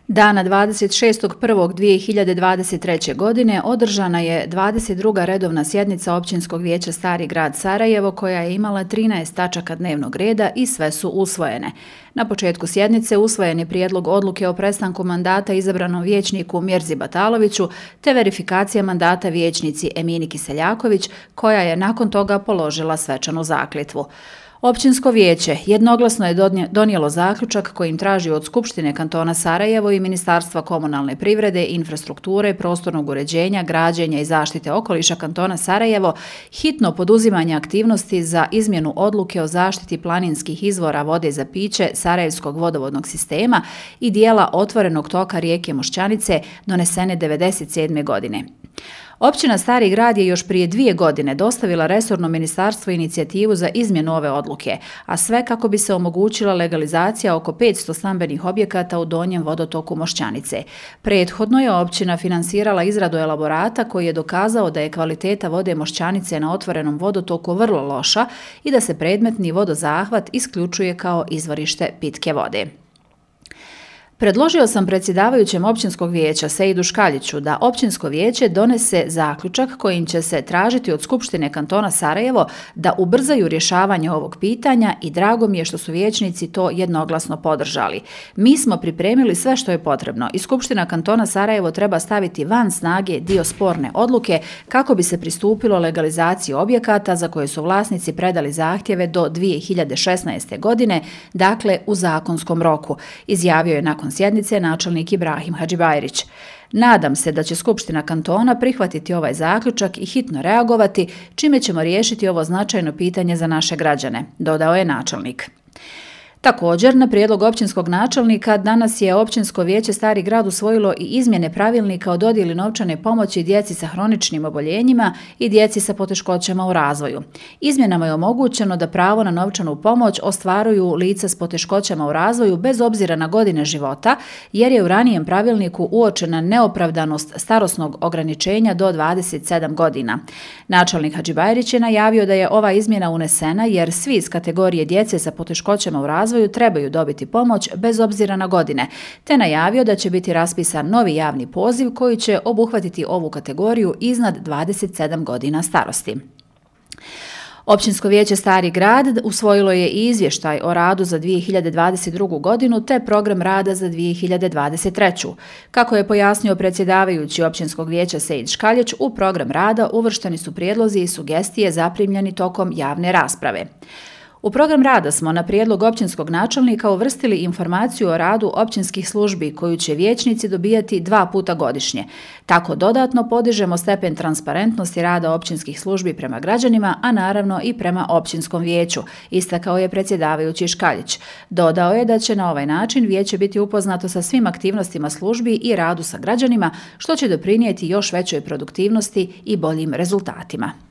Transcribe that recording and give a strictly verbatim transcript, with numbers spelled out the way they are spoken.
Dana dvadeset šestog prvog dvije hiljade dvadeset treće. godine održana je dvadeset druga redovna sjednica Općinskog vijeća Stari grad Sarajevo koja je imala trinaest tačaka dnevnog reda i sve su usvojene. Na početku sjednice usvojen je prijedlog odluke o prestanku mandata izabranom vijećniku Mirzi Bataloviću te verifikacija mandata vijećnici Emini Kiseljaković koja je nakon toga položila svečanu zakletvu. Općinsko vijeće jednoglasno je donijelo zaključak kojim traži od Skupštine kantona Sarajevo i Ministarstva komunalne privrede, infrastrukture, prostornog uređenja, građenja i zaštite okoliša kantona Sarajevo hitno poduzimanje aktivnosti za izmjenu odluke o zaštiti planinskih izvora vode za piće Sarajevskog vodovodnog sistema i dijela otvorenog toka rijeke Mošćanice donesene devedeset sedme. godine. Općina Stari grad je još prije dvije godine dostavila resorno ministarstvo inicijativu za izmjenu ove odluke, a sve kako bi se omogućila legalizacija oko petsto stambenih objekata u donjem vodotoku Mošćanice. Prethodno je općina finansirala izradu elaborata koji je dokazao da je kvaliteta vode Mošćanice na otvorenom vodotoku vrlo loša i da se predmetni vodozahvat isključuje kao izvorište pitke vode. Predložio sam predsjedavajućem Općinskog vijeća Seidu Škaljiću da Općinsko vijeće donese zaključak kojim će se tražiti od Skupštine kantona Sarajevo da ubrzaju rješavanje ovog pitanja i drago mi je što su vijećnici to jednoglasno podržali. Mi smo pripremili sve što je potrebno i Skupština kantona Sarajevo treba staviti van snage dio sporne odluke kako bi se pristupilo legalizaciji objekata za koje su vlasnici predali zahtjeve do dvije hiljade šesnaeste. godine, dakle u zakonskom roku, izjavio je nakon sjednice načelnik Ibrahim Hadžibajrić. Nadam se da će Skupština kantona prihvatiti ovaj zaključak i hitno reagovati, čime ćemo riješiti ovo značajno pitanje za naše građane, dodao je načelnik. Također, na prijedlog općinskog načelnika, danas je Općinsko vijeće Stari grad usvojilo i izmjene pravilnika o dodjeli novčane pomoći djeci sa hroničnim oboljenjima i djeci sa poteškoćama u razvoju. Izmjenama je omogućeno da pravo na novčanu pomoć ostvaruju lica s poteškoćama u razvoju bez obzira na godine života, jer je u ranijem pravilniku uočena neopravdanost starosnog ograničenja do dvadeset sedam godina. Načelnik Hadžibajrić je najavio da je ova izmjena unesena jer svi iz kategorije djece sa poteškoćama u razvoju trebaju dobiti pomoć bez obzira na godine, te najavio da će biti raspisan novi javni poziv koji će obuhvatiti ovu kategoriju iznad dvadeset sedam godina starosti. Općinsko vijeće Stari grad usvojilo je i izvještaj o radu za dvije hiljade dvadeset drugu. godinu te program rada za dvije hiljade dvadeset treću. Kako je pojasnio predsjedavajući Općinskog vijeća Seid Škaljić, u program rada uvršteni su prijedlozi i sugestije zaprimljeni tokom javne rasprave. U program rada smo na prijedlog općinskog načelnika uvrstili informaciju o radu općinskih službi koju će vijećnici dobijati dva puta godišnje. Tako dodatno podižemo stepen transparentnosti rada općinskih službi prema građanima, a naravno i prema općinskom vijeću, istakao je predsjedavajući Škaljić. Dodao je da će na ovaj način vijeće biti upoznato sa svim aktivnostima službi i radu sa građanima, što će doprinijeti još većoj produktivnosti i boljim rezultatima.